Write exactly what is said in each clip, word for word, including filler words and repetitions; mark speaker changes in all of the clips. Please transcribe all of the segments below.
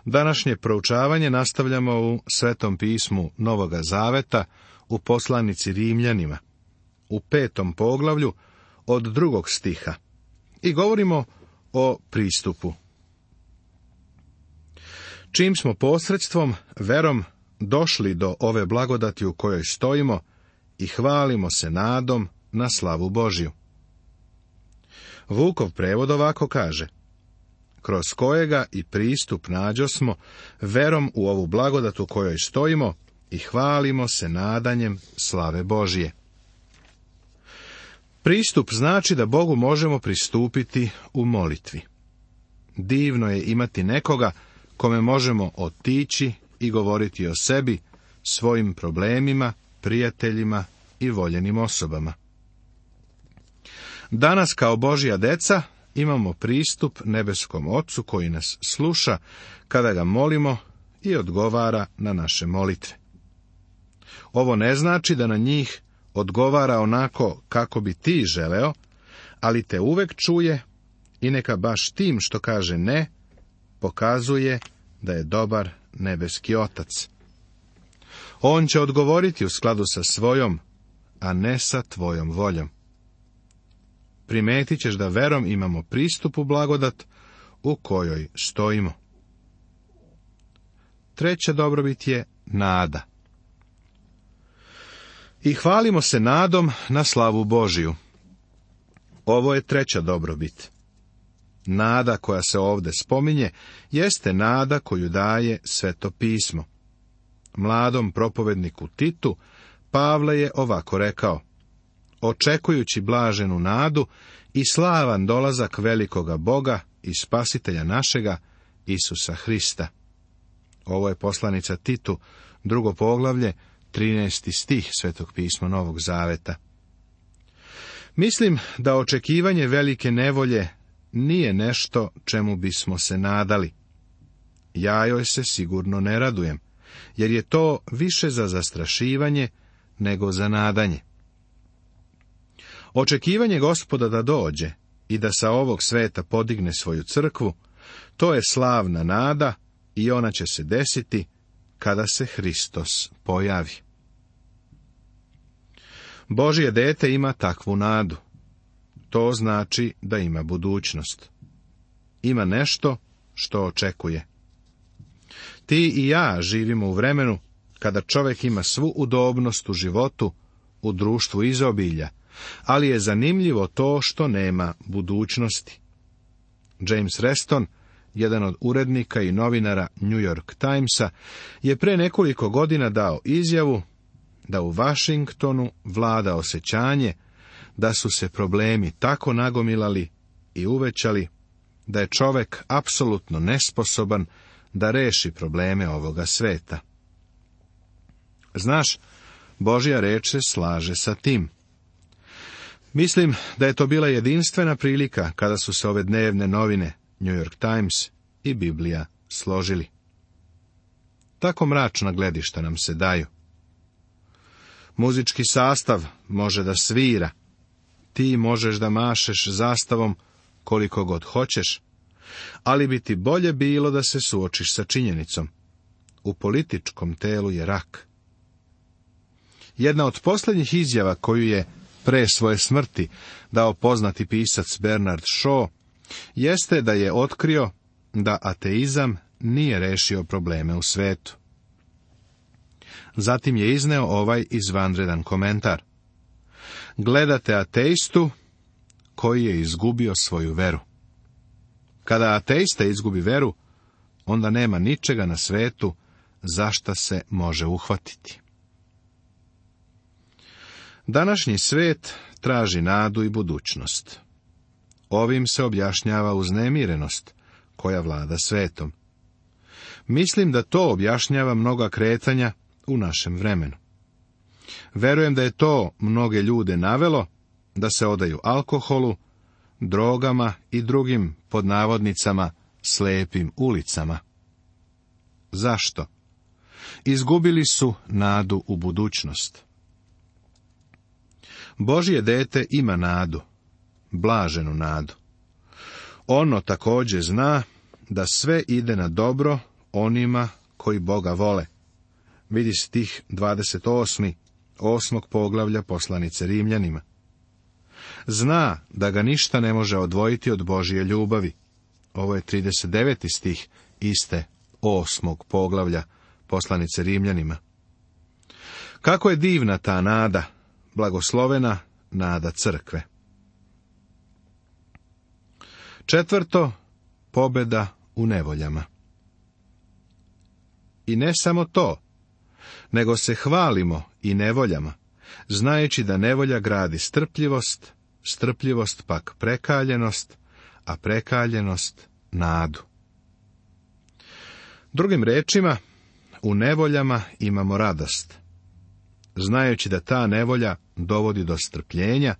Speaker 1: Današnje proučavanje nastavljamo u Svetom pismu Novoga Zaveta, u poslanici Rimljanima, u petom poglavlju od drugog stiha, i govorimo o pristupu. Čim smo posredstvom, verom, došli do ove blagodati u kojoj stojimo i hvalimo se nadom na slavu Božju. Vukov prevod ovako kaže: kroz kojega i pristup nađosmo verom u ovu blagodat u kojoj stojimo i hvalimo se nadanjem slave Božje. Pristup znači da Bogu možemo pristupiti u molitvi. Divno je imati nekoga kome možemo otići i govoriti o sebi, svojim problemima, prijateljima i voljenim osobama. Danas kao Božja deca imamo pristup nebeskom Ocu koji nas sluša kada ga molimo i odgovara na naše molitve. Ovo ne znači da na njih odgovara onako kako bi ti želeo, ali te uvek čuje i neka baš tim što kaže ne, pokazuje da je dobar nebeski Otac. On će odgovoriti u skladu sa svojom, a ne sa tvojom voljom. Primetit ćeš da verom imamo pristup u blagodat u kojoj stojimo. Treća dobrobit je nada. I hvalimo se nadom na slavu Božiju. Ovo je treća dobrobit. Nada koja se ovdje spominje jeste nada koju daje Sveto pismo. Mladom propovedniku Titu Pavle je ovako rekao: očekujući blaženu nadu i slavan dolazak velikoga Boga i Spasitelja našega, Isusa Hrista. Ovo je poslanica Titu, drugo poglavlje, trinaesti stih Svetog pisma Novog Zaveta. Mislim da očekivanje velike nevolje nije nešto čemu bismo se nadali. Ja joj se sigurno ne radujem, jer je to više za zastrašivanje nego za nadanje. Očekivanje Gospoda da dođe i da sa ovog sveta podigne svoju crkvu, to je slavna nada i ona će se desiti kada se Hristos pojavi. Božje dete ima takvu nadu. To znači da ima budućnost. Ima nešto što očekuje. Ti i ja živimo u vremenu kada čovjek ima svu udobnost u životu, u društvu izobilja, ali je zanimljivo to što nema budućnosti. James Reston, jedan od urednika i novinara New York Timesa, je pre nekoliko godina dao izjavu da u Washingtonu vlada osjećanje da su se problemi tako nagomilali i uvećali da je čovjek apsolutno nesposoban da reši probleme ovoga sveta. Znaš, Božja reč se slaže sa tim. Mislim da je to bila jedinstvena prilika kada su se ove dnevne novine New York Times i Biblija složili. Tako mračna gledišta nam se daju. Muzički sastav može da svira, ti možeš da mašeš zastavom koliko god hoćeš, ali bi ti bolje bilo da se suočiš sa činjenicom. U političkom telu je rak. Jedna od posljednjih izjava koju je pre svoje smrti dao poznati pisac Bernard Shaw jeste da je otkrio da ateizam nije rešio probleme u svetu. Zatim je izneo ovaj izvanredan komentar: gledate ateistu koji je izgubio svoju veru. Kada ateista izgubi veru, onda nema ničega na svetu za šta se može uhvatiti. Današnji svet traži nadu i budućnost. Ovim se objašnjava uznemirenost koja vlada svetom. Mislim da to objašnjava mnoga kretanja u našem vremenu. Verujem da je to mnoge ljude navelo da se odaju alkoholu, drogama i drugim, pod navodnicama, slepim ulicama. Zašto? Izgubili su nadu u budućnost. Božje dete ima nadu, blaženu nadu. Ono također zna da sve ide na dobro onima koji Boga vole. Vidi stih dvadeset osmi, osmog poglavlja poslanice Rimljanima. Zna da ga ništa ne može odvojiti od Božije ljubavi. Ovo je trideset deveti stih iste osmog poglavlja poslanice Rimljanima. Kako je divna ta nada, blagoslovena nada crkve. Četvrto, pobjeda u nevoljama. I ne samo to, nego se hvalimo i nevoljama, znajući da nevolja gradi strpljivost, strpljivost pak prekaljenost, a prekaljenost nadu. Drugim rečima, u nevoljama imamo radost. Znajući da ta nevolja dovodi do strpljenja,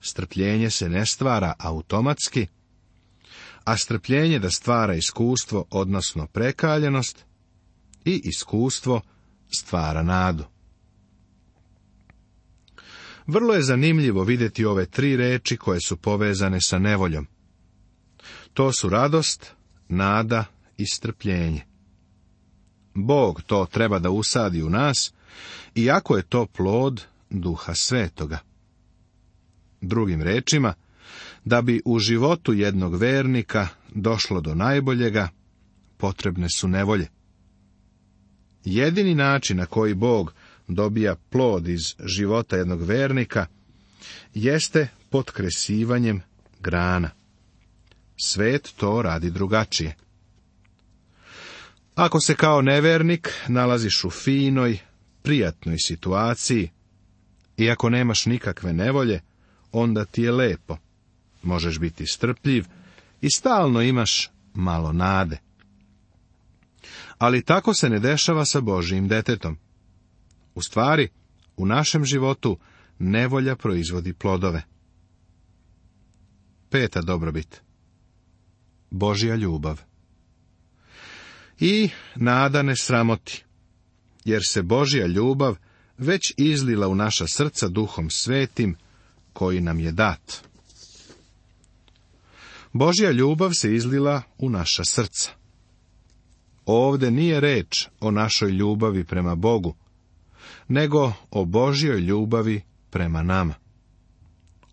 Speaker 1: strpljenje se ne stvara automatski, a strpljenje da stvara iskustvo, odnosno prekaljenost, i iskustvo stvara nadu. Vrlo je zanimljivo vidjeti ove tri reči koje su povezane sa nevoljom. To su radost, nada i strpljenje. Bog to treba da usadi u nas, iako je to plod Duha Svetoga. Drugim rečima, da bi u životu jednog vernika došlo do najboljega, potrebne su nevolje. Jedini način na koji Bog dobija plod iz života jednog vernika jeste potkresivanjem grana. Svet to radi drugačije. Ako se kao nevernik nalaziš u finoj, prijatnoj situaciji, i ako nemaš nikakve nevolje, onda ti je lepo. Možeš biti strpljiv i stalno imaš malo nade. Ali tako se ne dešava sa Božijim detetom. U stvari, u našem životu nevolja proizvodi plodove. Peta dobrobit. Božja ljubav. I nada ne sramoti, jer se Božja ljubav već izlila u naša srca Duhom Svetim, koji nam je dat. Božja ljubav se izlila u naša srca. Ovde nije reč o našoj ljubavi prema Bogu, nego o Božjoj ljubavi prema nama.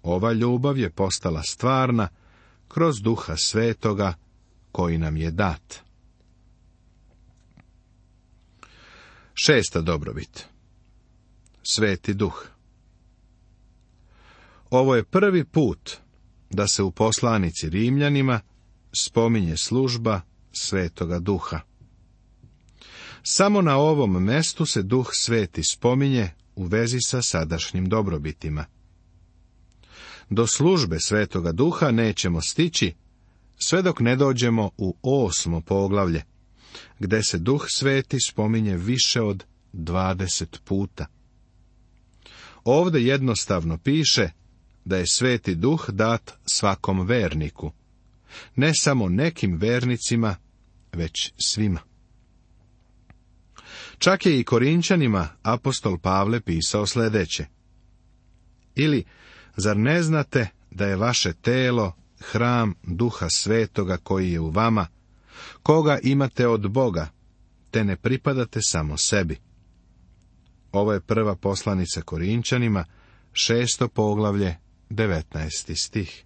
Speaker 1: Ova ljubav je postala stvarna kroz Duha Svetoga koji nam je dat. Šesta dobrobit. Sveti Duh. Ovo je prvi put da se u poslanici Rimljanima spominje služba Svetoga Duha. Samo na ovom mestu se Duh Sveti spominje u vezi sa sadašnjim dobrobitima. Do službe Svetoga Duha nećemo stići sve dok ne dođemo u osmo poglavlje, gde se Duh Sveti spominje više od dvadeset puta. Ovde jednostavno piše da je Sveti Duh dat svakom verniku, ne samo nekim vernicima, već svima. Čak je i Korinčanima apostol Pavle pisao sljedeće. Ili, zar ne znate da je vaše telo hram Duha Svetoga koji je u vama, koga imate od Boga, te ne pripadate samo sebi? Ovo je prva poslanica Korinčanima, šesto poglavlje, devetnaesti stih.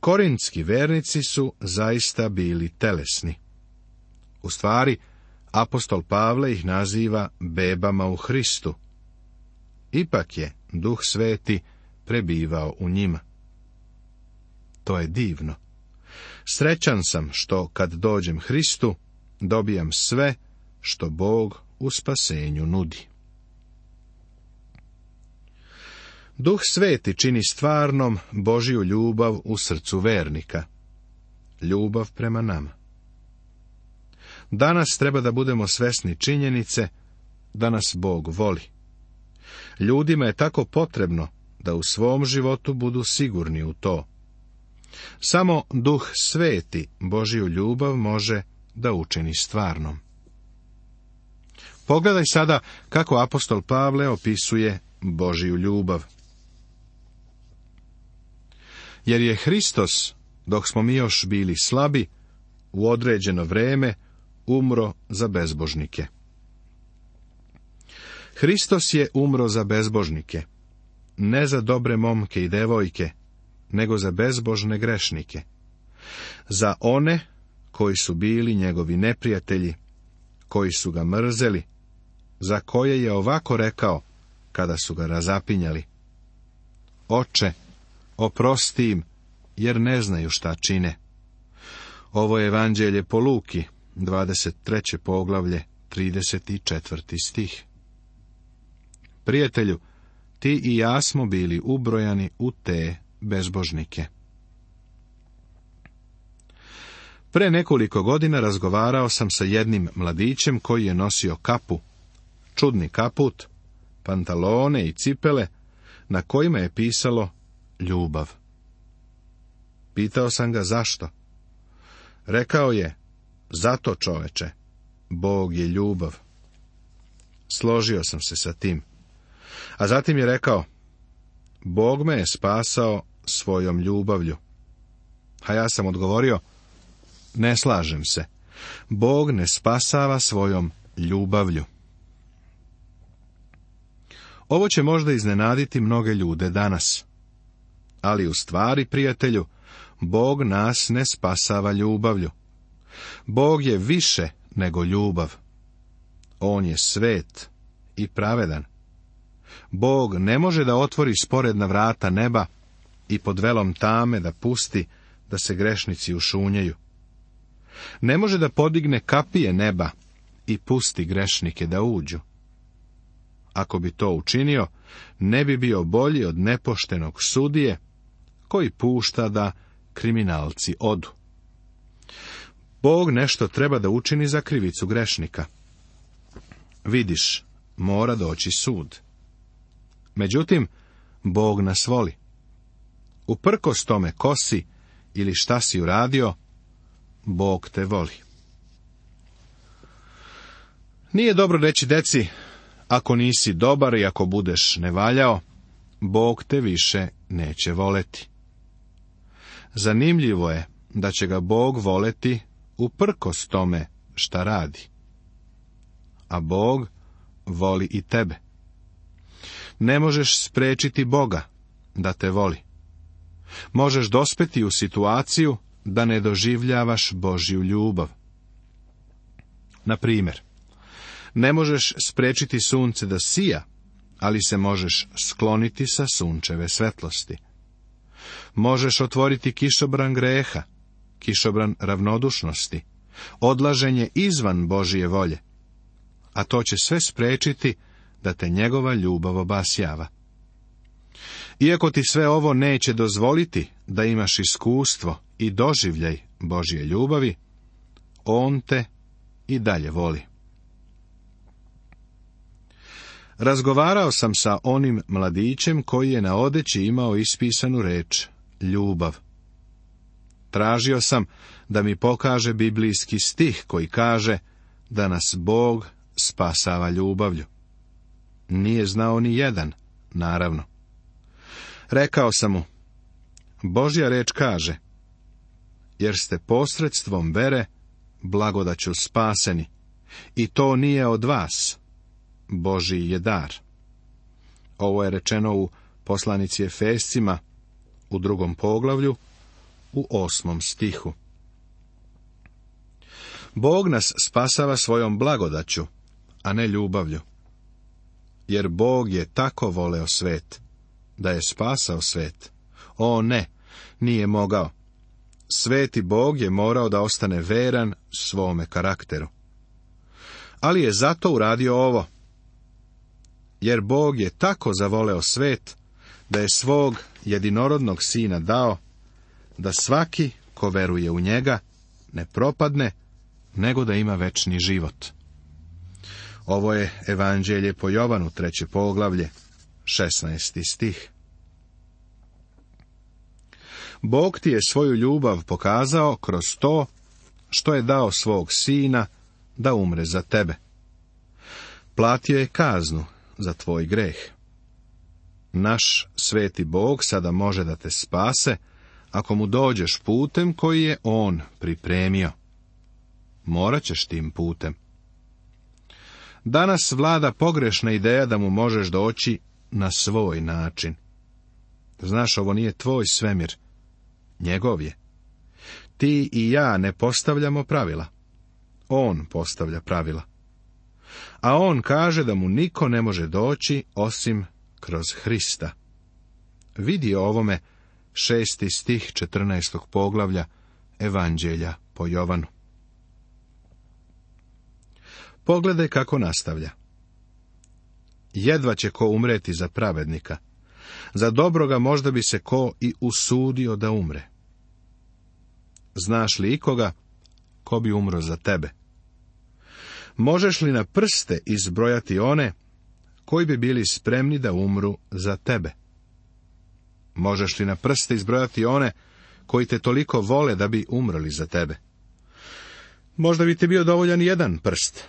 Speaker 1: Korintski vernici su zaista bili telesni. U stvari, apostol Pavle ih naziva bebama u Hristu. Ipak je Duh Sveti prebivao u njima. To je divno. Srećan sam što kad dođem Hristu, dobijam sve što Bog u spasenju nudi. Duh Sveti čini stvarnom Božju ljubav u srcu vernika. Ljubav prema nama. Danas treba da budemo svesni činjenice da nas Bog voli. Ljudima je tako potrebno da u svom životu budu sigurni u to. Samo Duh Sveti Božju ljubav može da učini stvarnom. Pogledaj sada kako apostol Pavle opisuje Božju ljubav. Jer je Hristos, dok smo mi još bili slabi, u određeno vreme umro za bezbožnike. Hristos je umro za bezbožnike, ne za dobre momke i devojke, nego za bezbožne grešnike, za one koji su bili njegovi neprijatelji, koji su ga mrzeli, za koje je ovako rekao kada su ga razapinjali: Oče, oprosti im, jer ne znaju šta čine. Ovo je Evanđelje po Luki, dvadeset treće poglavlje, trideset četvrti stih. Prijatelju, ti i ja smo bili ubrojani u te bezbožnike. Pre nekoliko godina razgovarao sam sa jednim mladićem koji je nosio kapu, čudni kaput, pantalone i cipele, na kojima je pisalo ljubav. Pitao sam ga zašto. Rekao je: zato, čoveče, Bog je ljubav. Složio sam se sa tim. A zatim je rekao: Bog me je spasao svojom ljubavlju. A ja sam odgovorio: ne slažem se. Bog ne spasava svojom ljubavlju. Ovo će možda iznenaditi mnoge ljude danas. Ali u stvari, prijatelju, Bog nas ne spasava ljubavlju. Bog je više nego ljubav. On je svet i pravedan. Bog ne može da otvori sporedna vrata neba i pod velom tame da pusti da se grešnici ušunjaju. Ne može da podigne kapije neba i pusti grešnike da uđu. Ako bi to učinio, ne bi bio bolji od nepoštenog sudije koji pušta da kriminalci odu. Bog nešto treba da učini za krivicu grešnika. Vidiš, mora doći sud. Međutim, Bog nas voli. Uprkos tome ko si ili šta si uradio, Bog te voli. Nije dobro reći deci: ako nisi dobar i ako budeš nevaljao, Bog te više neće voleti. Zanimljivo je da će ga Bog voleti uprkos tome šta radi. A Bog voli i tebe. Ne možeš spriječiti Boga da te voli. Možeš dospeti u situaciju da ne doživljavaš Božju ljubav. Na primjer, ne možeš spriječiti sunce da sija, ali se možeš skloniti sa sunčeve svetlosti. Možeš otvoriti kišobran greha, kišobran ravnodušnosti, odlaženje izvan Božje volje, a to će sve spriječiti da te njegova ljubav obasjava. Iako ti sve ovo neće dozvoliti da imaš iskustvo i doživljaj Božje ljubavi, on te i dalje voli. Razgovarao sam sa onim mladićem koji je na odeći imao ispisanu reč ljubav. Tražio sam da mi pokaže biblijski stih koji kaže da nas Bog spasava ljubavlju. Nije znao ni jedan, naravno. Rekao sam mu: Božja reč kaže: jer ste posredstvom vere blagodaću spaseni, i to nije od vas, Božji je dar. Ovo je rečeno u poslanici Efescima, u drugom poglavlju, u osmom stihu. Bog nas spasava svojom blagodaću, a ne ljubavlju. Jer Bog je tako voleo svet, da je spasao svet. O ne, nije mogao. Sveti Bog je morao da ostane veran svome karakteru. Ali je zato uradio ovo. Jer Bog je tako zavoleo svet, da je svog jedinorodnog sina dao, da svaki ko veruje u njega ne propadne, nego da ima večni život. Ovo je Evanđelje po Jovanu, treće poglavlje, šesnaesti stih. Bog ti je svoju ljubav pokazao kroz to što je dao svog sina da umre za tebe. Platio je kaznu za tvoj greh. Naš sveti Bog sada može da te spase ako mu dođeš putem koji je on pripremio. morat ćeš tim putem. Danas vlada pogrešna ideja da mu možeš doći na svoj način. Znaš, ovo nije tvoj svemir, njegov je. Ti i ja ne postavljamo pravila. On postavlja pravila. A on kaže da mu niko ne može doći osim kroz Hrista. Vidi o ovome šesti stih četrnaestog poglavlja Evanđelja po Jovanu. Pogledaj kako nastavlja. Jedva će ko umreti za pravednika. Za dobroga možda bi se ko i usudio da umre. Znaš li ikoga ko bi umro za tebe? Možeš li na prste izbrojati one koji bi bili spremni da umru za tebe? Možeš li na prste izbrojati one koji te toliko vole da bi umrli za tebe? Možda bi ti bio dovoljan jedan prst,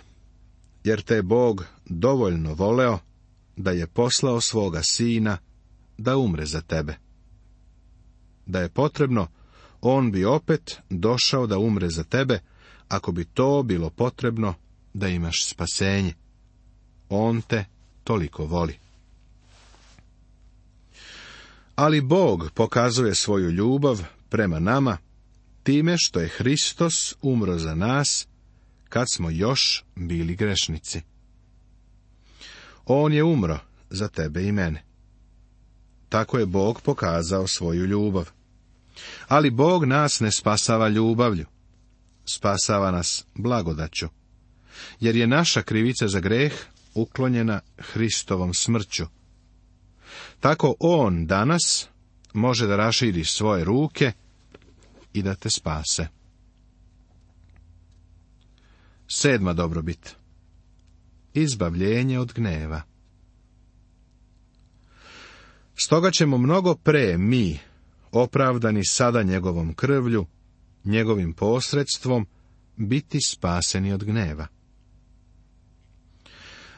Speaker 1: jer te je Bog dovoljno voleo da je poslao svoga sina da umre za tebe. Da je potrebno, on bi opet došao da umre za tebe, ako bi to bilo potrebno da imaš spasenje. On te toliko voli. Ali Bog pokazuje svoju ljubav prema nama time što je Hristos umro za nas kad smo još bili grešnici. On je umro za tebe i mene. Tako je Bog pokazao svoju ljubav. Ali Bog nas ne spasava ljubavlju. Spasava nas blagodaću. Jer je naša krivica za greh uklonjena Hristovom smrću. Tako on danas može da raširi svoje ruke i da te spase. Sedma dobrobit. Izbavljenje od gneva. Stoga ćemo mnogo pre mi, opravdani sada njegovom krvlju, njegovim posredstvom, biti spaseni od gneva.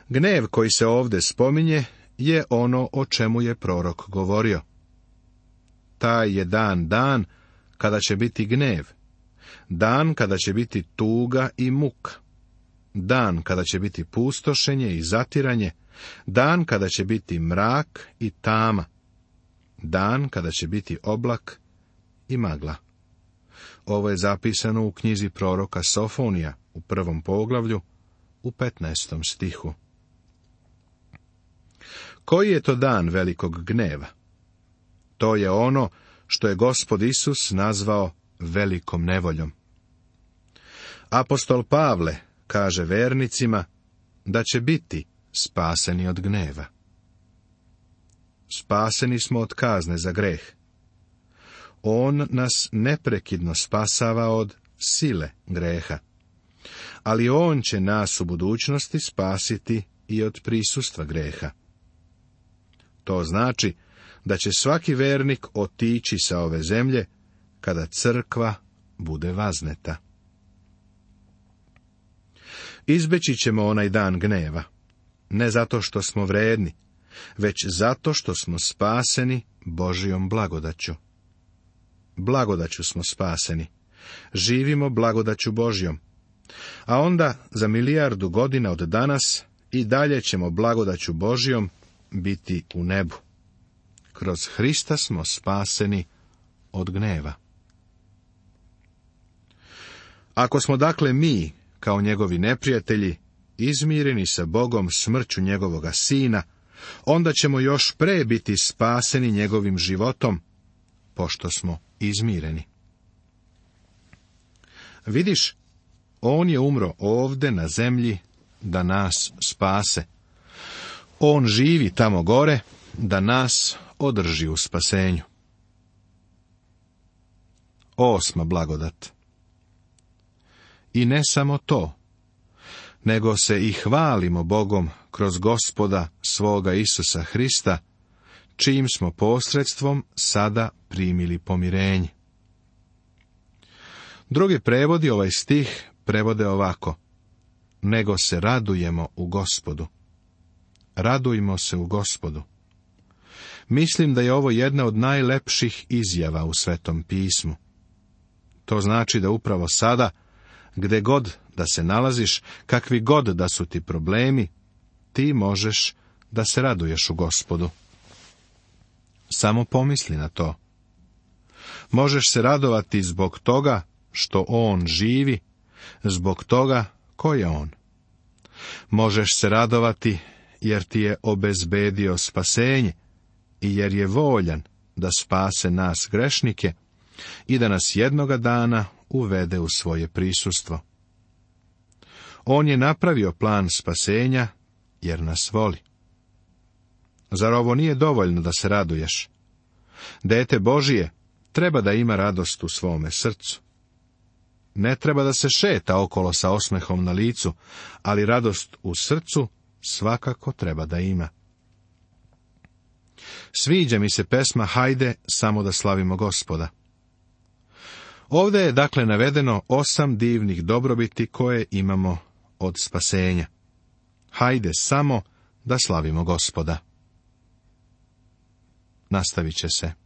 Speaker 1: Gnev koji se ovdje spominje je ono o čemu je prorok govorio. Taj je dan dan kada će biti gnjev, dan kada će biti tuga i muka, dan kada će biti pustošenje i zatiranje, dan kada će biti mrak i tama, dan kada će biti oblak i magla. Ovo je zapisano u knjizi proroka Sofonija u prvom poglavlju u petnaestom stihu. Koji je to dan velikog gneva? To je ono što je Gospod Isus nazvao velikom nevoljom. Apostol Pavle kaže vernicima da će biti spaseni od gneva. Spaseni smo od kazne za greh. On nas neprekidno spasava od sile greha. Ali on će nas u budućnosti spasiti i od prisustva greha. To znači da će svaki vernik otići sa ove zemlje kada crkva bude vazneta. Izbeći ćemo onaj dan gneva, ne zato što smo vredni, već zato što smo spaseni Božijom blagodaću. Blagodaću smo spaseni, živimo blagodaću Božjom, a onda za milijardu godina od danas i dalje ćemo blagodaću Božjom biti u nebu. Kroz Hrista smo spaseni od gneva. Ako smo dakle mi, kao njegovi neprijatelji, izmireni sa Bogom smrću njegovoga sina, onda ćemo još pre biti spaseni njegovim životom, pošto smo izmireni. Vidiš, on je umro ovde na zemlji da nas spase. On živi tamo gore da nas održi u spasenju. Osma blagodat. I ne samo to, nego se i hvalimo Bogom kroz Gospoda svoga Isusa Hrista, čijim smo posredstvom sada primili pomirenje. Drugi prevodi ovaj stih prevode ovako: nego se radujemo u Gospodu. Radujmo se u Gospodu. Mislim da je ovo jedna od najlepših izjava u Svetom pismu. To znači da upravo sada, gde god da se nalaziš, kakvi god da su ti problemi, ti možeš da se raduješ u Gospodu. Samo pomisli na to. Možeš se radovati zbog toga što on živi, zbog toga ko je on. Možeš se radovati jer ti je obezbedio spasenje i jer je voljan da spase nas grešnike i da nas jednoga dana uvede u svoje prisustvo. On je napravio plan spasenja jer nas voli. Zar ovo nije dovoljno da se raduješ? Dete Božije treba da ima radost u svome srcu. Ne treba da se šeta okolo sa osmehom na licu, ali radost u srcu svakako treba da ima. Sviđa mi se pesma Hajde samo da slavimo Gospoda. Ovdje je dakle navedeno osam divnih dobrobiti koje imamo od spasenja. Hajde samo da slavimo Gospoda. Nastavit će se.